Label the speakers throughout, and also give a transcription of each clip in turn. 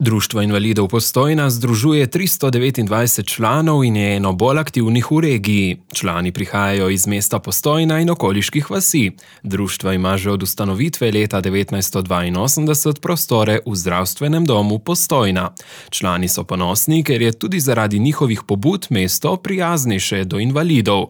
Speaker 1: Društvo invalidov Postojna združuje 329 članov in je eno bolj aktivnih v regiji. Člani prihajajo iz mesta Postojna in okoliških vasi. Društvo ima že od ustanovitve leta 1982 prostore v zdravstvenem domu Postojna. Člani so ponosni, ker je tudi zaradi njihovih pobud mesto prijaznejše do invalidov.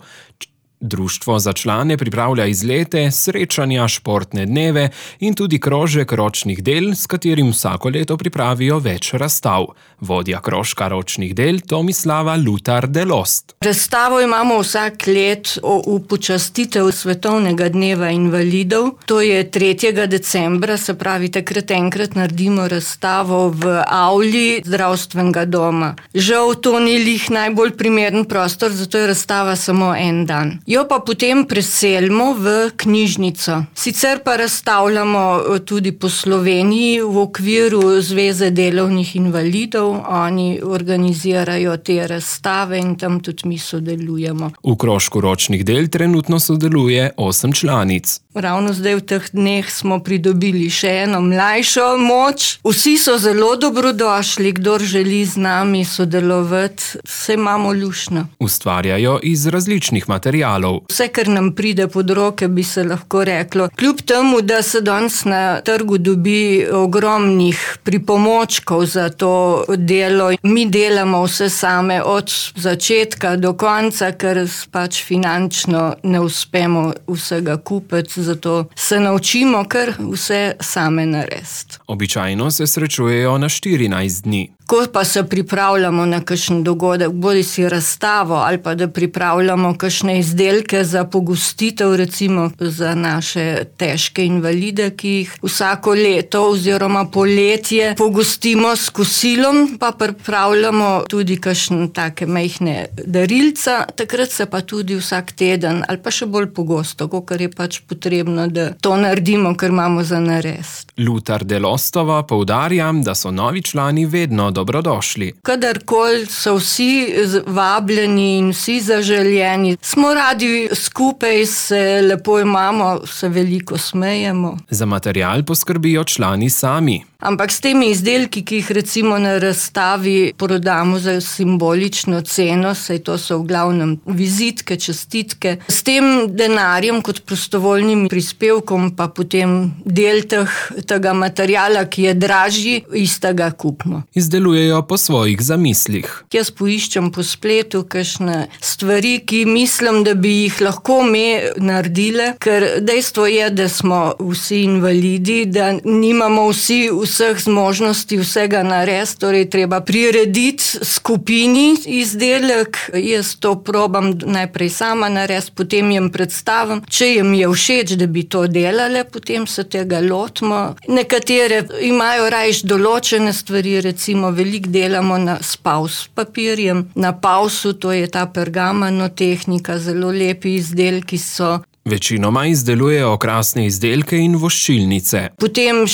Speaker 1: Društvo za člane pripravlja izlete, srečanja, športne dneve in tudi krožek ročnih del, s katerim vsako leto pripravijo več razstav. Vodja krožka ročnih del Tomislava Lutar Delost.
Speaker 2: Razstavo imamo vsak let v počastitev Svetovnega dneva invalidov. To je 3. decembra, se pravi, takrat enkrat naredimo razstavo v avli zdravstvenega doma. Žal to ni lih najbolj primeren prostor, zato je razstava samo en dan. Jo pa potem preselimo v knjižnico. Sicer pa razstavljamo tudi po Sloveniji v okviru Zveze delovnih invalidov. Oni organizirajo te razstave in tam tudi mi sodelujemo.
Speaker 1: V krožku ročnih del trenutno sodeluje 8 članic.
Speaker 2: Ravno zdaj v teh dneh smo pridobili še eno mlajšo moč. Vsi so zelo dobrodošli, kdor želi z nami sodelovati, se imamo luštno.
Speaker 1: Ustvarjajo iz različnih materialov.
Speaker 2: Vse, kar nam pride pod roke, bi se lahko reklo. Kljub temu, da se danes na trgu dobi ogromnih pripomočkov za to delo, mi delamo vse same od začetka do konca, ker pač finančno ne uspemo vsega kupiti, zato se naučimo kar vse same narediti.
Speaker 1: Običajno se srečujejo na 14 dni.
Speaker 2: Ko pa se pripravljamo na kakšen dogodek, bodi si razstavo ali pa da pripravljamo kakšne izdelke za pogostitev, recimo za naše težke invalide, ki jih vsako leto oziroma poletje pogostimo s kosilom, pa pripravljamo tudi kakšne take majhne darilca, takrat se pa tudi vsak teden ali pa še bolj pogosto, kakor je pač potrebno, da to naredimo, ker imamo za narediti.
Speaker 1: Lutar Delostova poudarja, da so novi člani vedno dobrodošli.
Speaker 2: Kadarkoli so vsi vabljeni in vsi zaželjeni, smo radi skupaj, se lepo imamo, se veliko smejemo.
Speaker 1: Za material poskrbijo člani sami.
Speaker 2: Ampak s temi izdelki, ki jih recimo na razstavi prodamo za simbolično ceno, saj to so v glavnem vizitke, čestitke, s tem denarjem kot prostovoljnim prispevkom pa potem del tega materiala, ki je dražji, istega kupimo.
Speaker 1: Izdelujejo po svojih zamislih.
Speaker 2: Jaz poiščem po spletu kakšne stvari, ki mislim, da bi jih lahko me naredile, ker dejstvo je, da smo vsi invalidi, da nimamo vsi vseh zmožnosti vsega narediti, torej treba prirediti skupini izdelek. Jaz to probam najprej sama narediti, potem jim predstavim. Če jim je všeč, da bi to delale, potem se tega lotimo. Nekatere imajo rajš določene stvari, recimo veliko delamo s paus papirjem. Na pausu, to je ta pergamonotehnika, zelo lepi izdelki so.
Speaker 1: Večinoma izdelujejo okrasne izdelke in voščilnice.
Speaker 2: Potem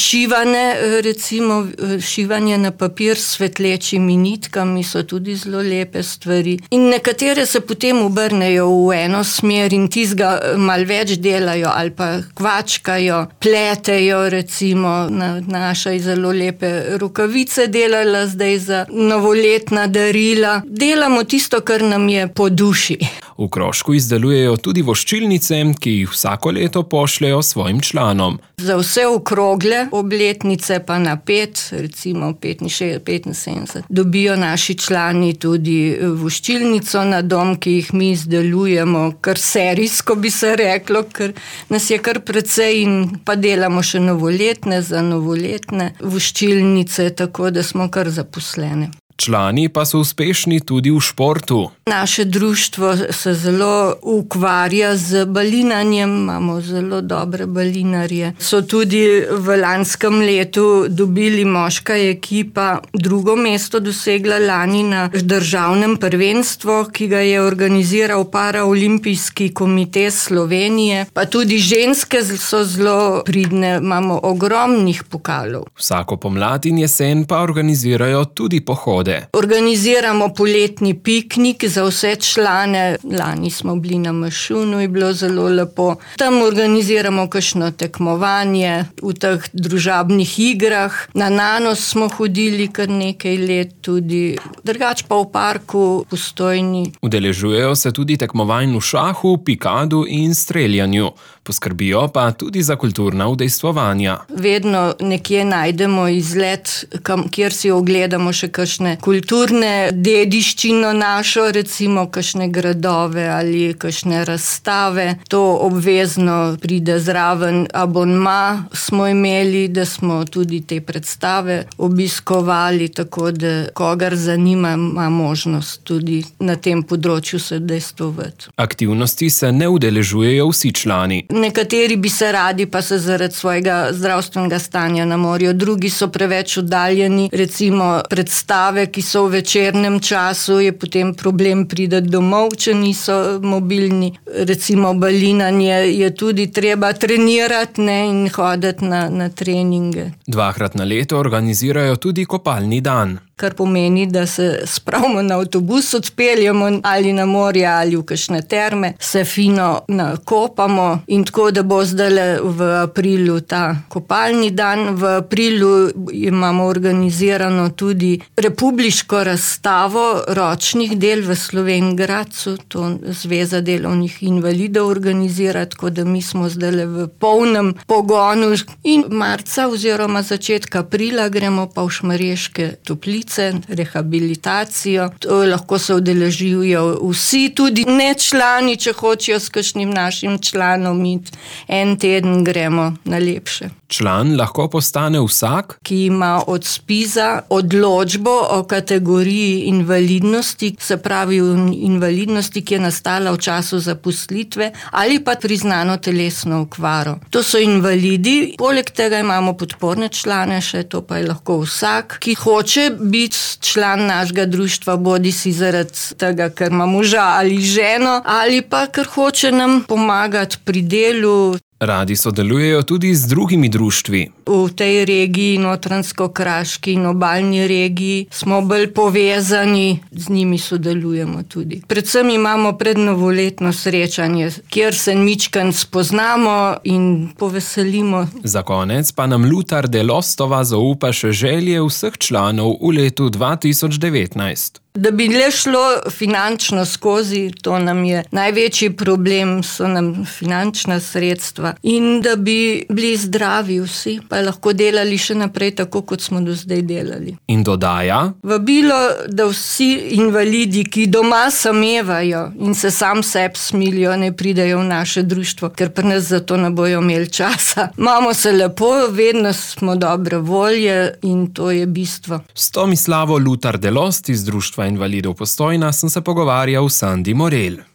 Speaker 2: šivanje na papir s svetlečimi nitkami so tudi zelo lepe stvari. In nekatere se potem obrnejo v eno smer in tizga malo več delajo ali pa kvačkajo, pletejo, recimo naša zelo lepe rokavice delala zdaj za novoletna darila. Delamo tisto, kar nam je po duši.
Speaker 1: V krožku izdelujejo tudi voščilnice, ki jih vsako leto pošljejo svojim članom.
Speaker 2: Za vse okrogle obletnice pa na 5, recimo 65, dobijo naši člani tudi voščilnico na dom, ki jih mi izdelujemo kar serijsko, bi se reklo, ker nas je kar precej in pa delamo še novoletne za novoletne voščilnice, tako da smo kar zaposlene.
Speaker 1: Člani pa so uspešni tudi v športu.
Speaker 2: Naše društvo se zelo ukvarja z balinanjem, imamo zelo dobre balinarje. So tudi v lanskem letu dobili moška ekipa 2. mesto dosegla lani na državnem prvenstvu, ki ga je organiziral Paraolimpijski komite Slovenije. Pa tudi ženske so zelo pridne, imamo ogromnih pokalov.
Speaker 1: Vsako pomlad in jesen pa organizirajo tudi pohode prihode.
Speaker 2: Organiziramo poletni piknik za vse člane. Lani smo bili na Mašunu, je bilo zelo lepo. Tam organiziramo kakšno tekmovanje v teh družabnih igrah. Na Nanos smo hodili kar nekaj let tudi. Drugač pa v parku Postojni.
Speaker 1: Udeležujejo se tudi tekmovanj v šahu, pikadu in streljanju. Poskrbijo pa tudi za kulturna udejstvovanja.
Speaker 2: Vedno nekje najdemo izlet, kjer si ogledamo še kakšne kulturne dediščino našo, recimo kakšne gradove ali kakšne razstave. To obvezno pride zraven. Abonma smo imeli, da smo tudi te predstave obiskovali, tako da kogar zanima, ima možnost tudi na tem področju se udejstvovati.
Speaker 1: Aktivnosti se ne udeležujejo vsi člani.
Speaker 2: Nekateri bi se radi, pa se zaradi svojega zdravstvenega stanja ne morejo. Drugi so preveč oddaljeni. Recimo predstave, ki so v večernem času, je potem problem priti domov, če niso mobilni. Recimo balinanje je tudi treba trenirati, ne, in hoditi na treninge.
Speaker 1: 2krat na leto organizirajo tudi kopalni dan.
Speaker 2: Kar pomeni, da se spravimo na avtobus, odpeljemo ali na morje ali v kakšne terme, se fino nakopamo in tako, da bo zdaj v aprilu ta kopalni dan. V aprilu imamo organizirano tudi republiško razstavo ročnih del v Slovenj Gradcu, to Zveza delovnih invalidov organizira, tako da mi smo zdaj v polnem pogonu in marca oziroma začetka aprila gremo pa v Šmarješke Toplice, rehabilitacijo. To lahko se udeležijo vsi, tudi ne člani, če hočejo s kakšnim našim članom iti. En teden gremo na lepše.
Speaker 1: Član lahko postane vsak,
Speaker 2: ki ima od ZPIZ-a odločbo o kategoriji invalidnosti, se pravi invalidnosti, ki je nastala v času zaposlitve ali pa priznano telesno okvaro. To so invalidi, poleg tega imamo podporne člane, še to pa je lahko vsak, ki hoče biti član našega društva, bodi si zaradi tega, ker ima moža ali ženo, ali pa ker hoče nam pomagati pri delu.
Speaker 1: Radi sodelujejo tudi z drugimi društvi.
Speaker 2: V tej regiji, Notranjsko-Kraški in obalni regiji, smo bolj povezani, z njimi sodelujemo tudi. Predvsem imamo prednovoletno srečanje, kjer se mičkan spoznamo in poveselimo.
Speaker 1: Za konec pa nam Lutar Delostova zaupa še želje vseh članov v letu 2019.
Speaker 2: Da bi le šlo finančno skozi, to nam je največji problem, so nam finančna sredstva. In da bi bili zdravi vsi, pa lahko delali še naprej tako, kot smo do zdaj delali.
Speaker 1: In dodaja:
Speaker 2: vabilo, da vsi invalidi, ki doma samevajo in se sam sebi smilijo, ne pridejo v naše društvo, ker pri nas za to ne bojo imeli časa. Imamo se lepo, vedno smo dobre volje in to je bistvo.
Speaker 1: S Tomislavo Lutar Delost iz Društva invalidov Postojna sem se pogovarjal s Sandi Morel.